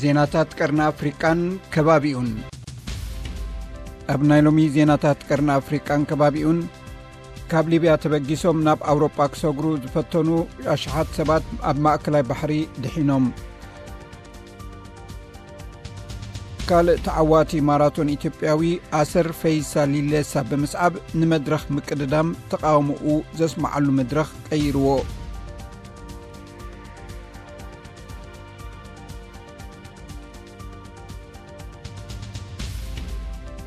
ዜናታት ቀርኒ ኣፍሪቃን ከባቢኡን። ኣብ ናይ ሎሚ ዜናታት ቀርኒ ኣፍሪቃን ከባቢኡን፣ ካብ ሊብያ ተበጊሶም ናብ ኣውሮጳ ክሰግሩ ዝፈተኑ ኣሽሓት ሰባት ኣብ ማእከላይ ባሕሪ ድሒኖም። ካልእ ተዓዋቲ ማራቶን ኢትዮጵያዊ ኣሰር ፈይሳ ሊሌሳ ብምስዓብ ንመድረኽ ምቅድዳም ተቓውሞኡ ዘስምዓሉ መድረኽ ቀይርዎ።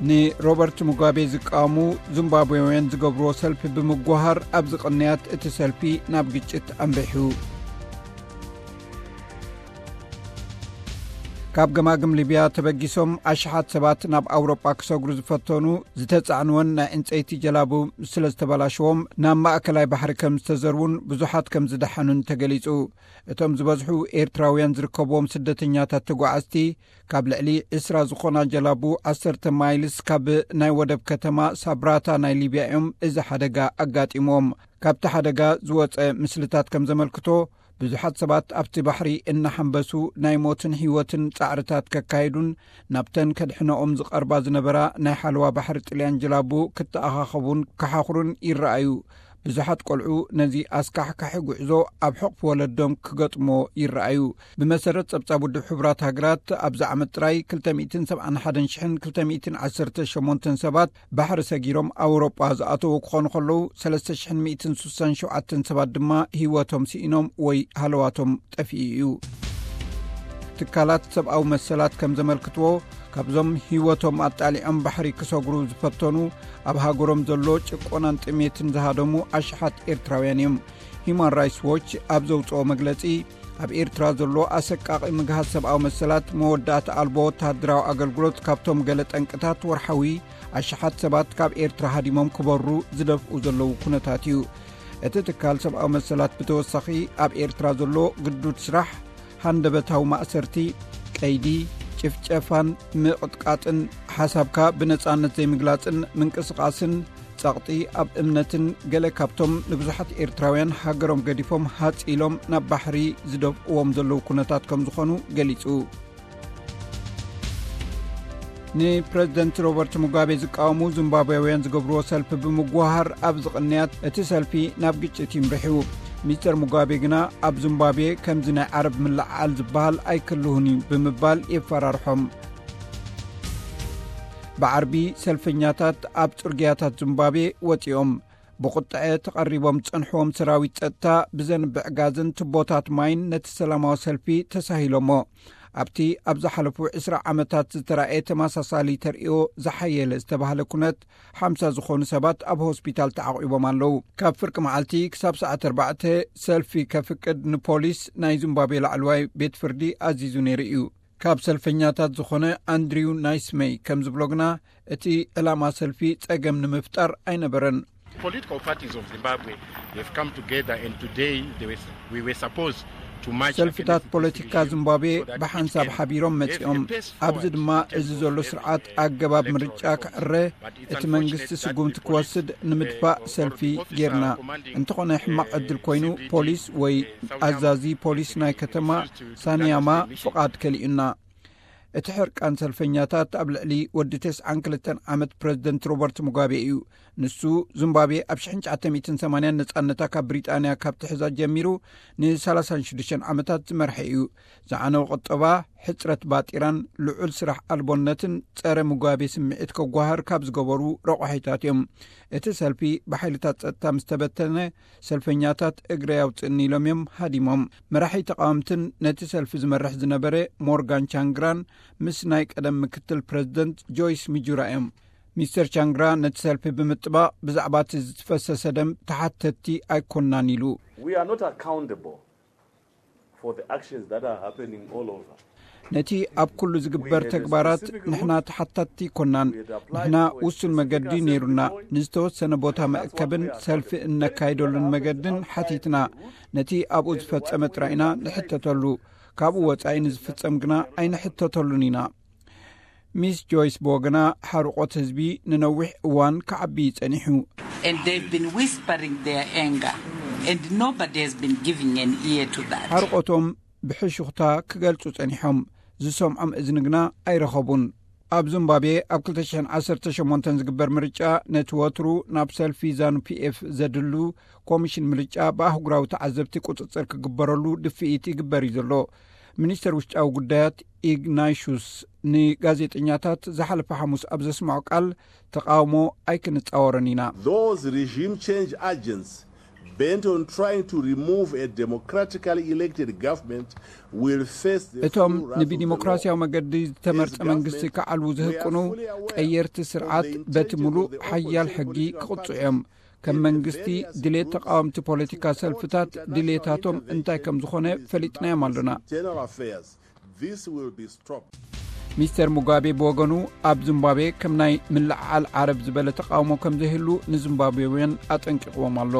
ንሮበርት ሙጋቤ ዝቃወሙ ዚምባብዌውያን ዝገብርዎ ሰልፊ ብምጉሃር ኣብ ዝቕንያት እቲ ሰልፊ ናብ ግጭት ኣምሪሑ። ካብ ገማግም ሊብያ ተበጊሶም ኣሽሓት ሰባት ናብ ኣውሮጳ ክሰግሩ ዝፈተኑ ዝተጻዕንወን ናይ ዕንጸይቲ ጀላቡ ስለ ዝተበላሸዎም ናብ ማእከላይ ባሕሪ ከም ዝተዘርቡን ብዙሓት ከም ዝደሓኑን ተገሊጹ። እቶም ዝበዝሑ ኤርትራውያን ዝርከብዎም ስደተኛታት ተጓዓዝቲ ካብ ልዕሊ ዕስራ ዝኾና ጀላቡ ዓሰርተ ማይልስ ካብ ናይ ወደብ ከተማ ሳብራታ ናይ ሊብያ እዮም እዚ ሓደጋ ኣጋጢምዎም። ካብቲ ሓደጋ ዝወጸ ምስልታት ከም ዘመልክቶ፣ ብዙሓት ሰባት ኣብቲ ባሕሪ እናሓንበሱ ናይ ሞትን ህይወትን ጻዕርታት ከካይዱን ናብተን ከድሕነኦም ዝቐርባ ዝነበራ ናይ ሓለዋ ባሕሪ ጥልያን ጀላቡ ክተኣኻኸቡን ክሓኹሩን ይረኣዩ። ብዙሓት ቆልዑ ነዚ ኣስካሕካሒ ጉዕዞ ኣብ ሕቑፊ ወለዶም ክገጥሞ ይረኣዩ። ብመሰረት ጸብጻብ ውድብ ሕቡራት ሃገራት፣ ኣብዚ ዓመት ጥራይ ክልተ ሚእትን ሰብዓን ሓደን ሽሕን ክልተ ሚእትን ዓሰርተ ሸሞንተን ሰባት ባሕሪ ሰጊሮም ኣውሮጳ ዝኣተዉ ክኾኑ ከለዉ፣ ሰለስተ ሽሕን ሚእትን ስሳን ሸውዓተን ሰባት ድማ ህይወቶም ስኢኖም ወይ ሃለዋቶም ጠፊኡ እዩ። ትካላት ሰብኣዊ መሰላት ከም ዘመልክትዎ፣ ካብዞም ህይወቶም ኣጣሊዖም ባሕሪ ክሰግሩ ዝፈተኑ፣ ኣብ ሃገሮም ዘሎ ጭቆናን ጥሜትን ዝሃደሙ ኣሽሓት ኤርትራውያን እዮም። ሂዩማን ራይትስ ዎች ኣብ ዘውጽኦ መግለጺ፣ ኣብ ኤርትራ ዘሎ ኣሰቃቒ ምግሃስ ሰብኣዊ መሰላት፣ መወዳእታ ኣልቦ ወተሃደራዊ ኣገልግሎት ካብቶም ገለ ጠንቅታት ወርሓዊ ኣሽሓት ሰባት ካብ ኤርትራ ሃዲሞም ክበሩ ዝደፍኡ ዘለዉ ኩነታት እዩ። እቲ ትካል ሰብኣዊ መሰላት ብተወሳኺ፣ ኣብ ኤርትራ ዘሎ ግዱድ ስራሕ፣ ሃንደበታዊ ማእሰርቲ፣ ቀይዲ፣ ጭፍጨፋን ምቕጥቃጥን፣ ሓሳብካ ብነጻነት ዘይምግላጽን ምንቅስቓስን፣ ጸቕጢ ኣብ እምነትን ገለ ካብቶም ንብዙሓት ኤርትራውያን ሃገሮም ገዲፎም ሃጽ ኢሎም ናብ ባሕሪ ዝደፍእዎም ዘለዉ ኩነታት ከም ዝኾኑ ገሊጹ። ንፕረዚደንት ሮበርት ሙጋቤ ዝቃወሙ ዚምባብዌውያን ዝገብርዎ ሰልፊ ብምጉሃር ኣብ ዝቕንያት እቲ ሰልፊ ናብ ግጭት ይምርሑ። ሚስተር ሙጋቤ ግና ኣብ ዚምባብዌ ከምዚ ናይ ዓረብ ምልዕዓል ዝበሃል ኣይክልሁን እዩ ብምባል የፈራርሖም። ብዓርቢ ሰልፈኛታት ኣብ ጽርግያታት ዚምባብዌ ወጺኦም። ብቁጥዐ ተቐሪቦም ዝጸንሕዎም ሰራዊት ጸጥታ ብዘንብዕ ጋዝን ቱቦታት ማይን ነቲ ሰላማዊ ሰልፊ ተሳሂሎሞ። ኣብቲ ኣብ ዝሓለፉ ዕስራ ዓመታት ዝተራእየ ተመሳሳሊ ተርእዮ ዝሓየለ ዝተባህለ ኩነት፣ ሓምሳ ዝኾኑ ሰባት ኣብ ሆስፒታል ተዓቑቦም ኣለዉ። ካብ ፍርቂ መዓልቲ ክሳብ ሰዓት ኣርባዕተ ሰልፊ ከፍቅድ ንፖሊስ ናይ ዚምባብዌ ላዕለዋይ ቤት ፍርዲ ኣዚዙ ነይሩ እዩ። ካብ ሰልፈኛታት ዝኾነ ኣንድሪው ናይስመይ ከም ዝብሎ ግና፣ እቲ ዕላማ ሰልፊ ጸገም ንምፍጣር ኣይነበረን። Political parties of Zimbabwe have come together, and today they were, we were supposed to march ሰልፍታት against this ፖለቲካ regime ዚምባብዌ so that it ብሓንሳብ can ሓቢሮም have መጺኦም። a path ኣብዚ forward ድማ in እዚ terms ዘሎ of ስርዓት having, uh, ኣገባብ electoral ምርጫ reforms. ክዕረ፣ But it's እቲ መንግስቲ unfortunate that ስጉምቲ the ክወስድ police, ንምድፋእ uh, or ሰልፊ the officer ጌርና። Commanding, እንተኾነ ሕማቕ uh, ዕድል ኮይኑ፣ C B ፖሊስ ወይ uh, South ኣዛዚ Yama ፖሊስ ናይ ከተማ refused to, to ሳንያማ grant the permission. ፍቓድ ከሊኡና። እቲ ሕርቃን ሰልፈኛታት ኣብ ልዕሊ ወዲ ተስዓን ክልተን ዓመት ፕረዚደንት ሮበርት ሙጋቤ እዩ። ንሱ፣ ዚምባብዌ ኣብ ሽሕን ትሽዓተ ሚእትን ሰማንያን ነጻነታ ካብ ብሪጣንያ ካብ ትሕዛ ጀሚሩ ንሰላሳን ሽዱሽተን ዓመታት ዝመርሐ እዩ። ዝዓነወ ቁጠባ፣ ሕጽረት ባጤራን ልዑል ስራሕ ኣልቦነትን ጸረ ሙጋቤ ስምዒት ከጓህር ካብ ዝገበሩ ረቋሒታት እዮም። እቲ ሰልፊ ብሓይልታት ጸጥታ ምስ ተበተነ፣ ሰልፈኛታት እግረይ ኣውጽእኒ ኢሎም እዮም ሃዲሞም። መራሒ ተቓወምትን ነቲ ሰልፊ ዝመርሕ ዝነበረ ሞርጋን ቻንግራን ምስ ናይ ቀደም ምክትል ፕረዚደንት ጆይስ ሚጁራ እዮም። ሚስተር ቻንግራ ነቲ ሰልፊ ብምጥባቕ፣ ብዛዕባ እቲ ዝፈሰሰ ደም ተሓተትቲ ኣይኮናን ኢሉ። We are not accountable for the actions that are happening all over. ነቲ ኣብ ኩሉ ዝግበር ተግባራት ንሕና ተሓታትቲ ኣይኮናን። ንሕና ውሱን መገዲ ነይሩና። ንዝተወሰነ ቦታ መእከብን ሰልፊ እነካይደሉን መገድን ሓቲትና። ነቲ ኣብኡ ዝፈጸመ ጥራይ ኢና ንሕተተሉ። ካብኡ ወጻኢ ንዝፍጸም ግና ኣይንሕተተሉን ኢና። ሚስ ጆይስ ብወገና፣ ሓርቆት ህዝቢ ንነዊሕ እዋን ክዓቢ ጸኒሑ። And they've been whispering their anger, and nobody has been giving an ear to that. ሓርቆቶም ብሕሹኽታ ክገልጹ ጸኒሖም። ዝሰምዖም እዝኒ ግና ኣይረኸቡን። ኣብ ዚምባብዌ ኣብ ክልተ ሽሕን ዓሰርተ ሸሞንተን ዝግበር ምርጫ፣ ነቲ ወትሩ ናብ ሰልፊ ዛኑ ፒኤፍ ዘድሉ ኮሚሽን ምርጫ ብኣህጉራዊ ተዓዘብቲ ቁጽጽር ክግበረሉ ድፍኢት ይግበር እዩ ዘሎ። ሚኒስተር ውሽጣዊ ጉዳያት ኢግናይሹስ ንጋዜጠኛታት ዝሓለፈ ሓሙስ ኣብ ዘስምዖ ቃል፣ ተቃውሞ ኣይክንጻወርን ኢና። Those regime change agents bent on trying to remove a democratically elected government will face the እቶም ንብዲሞክራሲያዊ መገዲ ዝተመርጸ መንግስቲ ክዓልዉ ዝህቅኑ ቀየርቲ ስርዓት በቲ ምሉእ ሓያል ሕጊ ክቕጽዑ እዮም። ከም መንግስቲ ድሌት ተቃወምቲ ፖለቲካ ሰልፍታት ድሌታቶም እንታይ ከም ዝኾነ ፈሊጥናዮም ኣሎና። This will be stopped. ሚስተር ሙጋቤ ብወገኑ፣ ኣብ ዚምባብዌ ከም ናይ ምልዕዓል ዓረብ ዝበለ ተቃውሞ ከም ዘይህሉ ንዚምባብዌውያን ኣጠንቂቕዎም ኣሎ።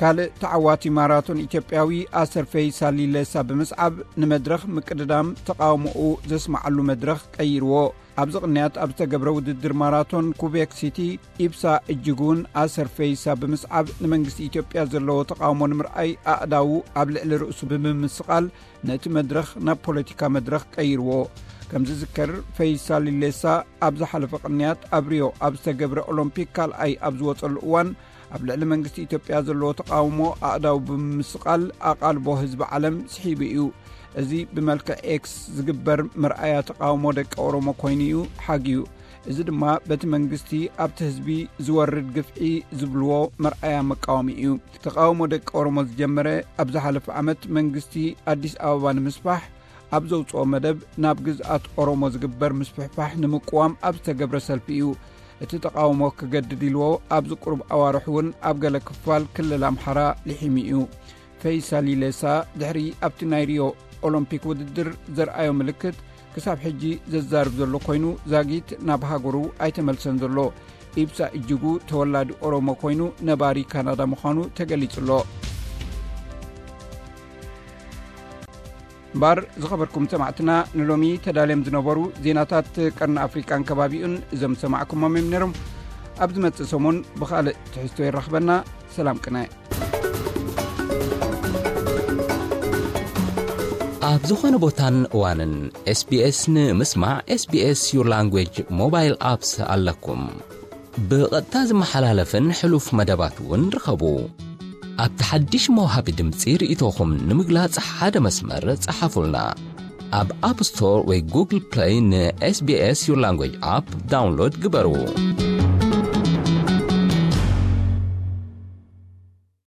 ካልእ ተዓዋቲ ማራቶን ኢትዮጵያዊ ኣሰር ፈይሳ ሊሌሳ ብምስዓብ ንመድረኽ ምቅድዳም ተቃውሞኡ ዘስምዓሉ መድረኽ ቀይርዎ። ኣብዚ ቅንያት ኣብ ዝተገብረ ውድድር ማራቶን ኩቤክ ሲቲ፣ ኢብሳ እጅጉን ኣሰር ፈይሳ ብምስዓብ ንመንግስቲ ኢትዮጵያ ዘለዎ ተቃውሞ ንምርኣይ ኣእዳዉ ኣብ ልዕሊ ርእሱ ብምምስቓል ነቲ መድረኽ ናብ ፖለቲካ መድረኽ ቀይርዎ። ከም ዝዝከር፣ ፈይሳ ሊሌሳ ኣብ ዝሓለፈ ቅንያት ኣብ ሪዮ ኣብ ዝተገብረ ኦሎምፒክ ካልኣይ ኣብ ዝወጸሉ እዋን፣ ኣብ ልዕሊ መንግስቲ ኢትዮጵያ ዘለዎ ተቃውሞ ኣእዳው ብምምስቓል ኣቓልቦ ህዝቢ ዓለም ስሒቡ እዩ። እዚ ብመልክዕ ኤክስ ዝግበር መርኣያ ተቃውሞ ደቂ ኦሮሞ ኮይኑ እዩ ሓግዩ። እዚ ድማ በቲ መንግስቲ ኣብቲ ህዝቢ ዝወርድ ግፍዒ ዝብልዎ መርኣያ መቃወሚ እዩ። ተቃውሞ ደቂ ኦሮሞ ዝጀመረ ኣብ ዝሓለፈ ዓመት መንግስቲ ኣዲስ ኣበባ ንምስፋሕ ኣብ ዘውፅኦ መደብ፣ ናብ ግዝኣት ኦሮሞ ዝግበር ምስፍሕፋሕ ንምቅዋም ኣብ ዝተገብረ ሰልፊ እዩ። እቲ ተቃውሞ ክገድድ ኢልዎ ኣብዚ ቁሩብ ኣዋርሕ እውን ኣብ ገለ ክፋል ክልል ኣምሓራ ልሒሙ እዩ። ፈይሳ ሊሌሳ ድሕሪ ኣብቲ ናይ ሪዮ ኦሎምፒክ ውድድር ዘርኣዮ ምልክት ክሳብ ሕጂ ዘዛርብ ዘሎ ኮይኑ፣ ዛጊት ናብ ሃገሩ ኣይተመልሰን ዘሎ። ኢብሳ እጅጉ ተወላዲ ኦሮሞ ኮይኑ፣ ነባሪ ካናዳ ምዃኑ ተገሊጹ ኣሎ። እምበር ዝኸበርኩም ሰማዕትና፣ ንሎሚ ተዳልዮም ዝነበሩ ዜናታት ቀርኒ ኣፍሪቃን ከባቢኡን እዞም ዝሰማዕኩሞም እዮም ነይሮም። ኣብ ዝመጽእ ሰሙን ብኻልእ ትሕዝቶ ይራኽበና። ሰላም ቅነ። ኣብ ዝኾነ ቦታን እዋንን ኤስቢኤስ ንምስማዕ፣ SBS Your Language ሞባይል ኣፕስ ኣለኩም። ብቐጥታ ዝመሓላለፍን ሕሉፍ መደባት እውን ርኸቡ። ኣብቲ ሓድሽ መውሃቢ ድምፂ ርእይቶኹም ንምግላጽ ሓደ መስመር ጸሓፉልና። ኣብ ኣፕ ስቶር ወይ ጉግል ፕለይ ን SBS Your Language ኣፕ ዳውንሎድ ግበሩ።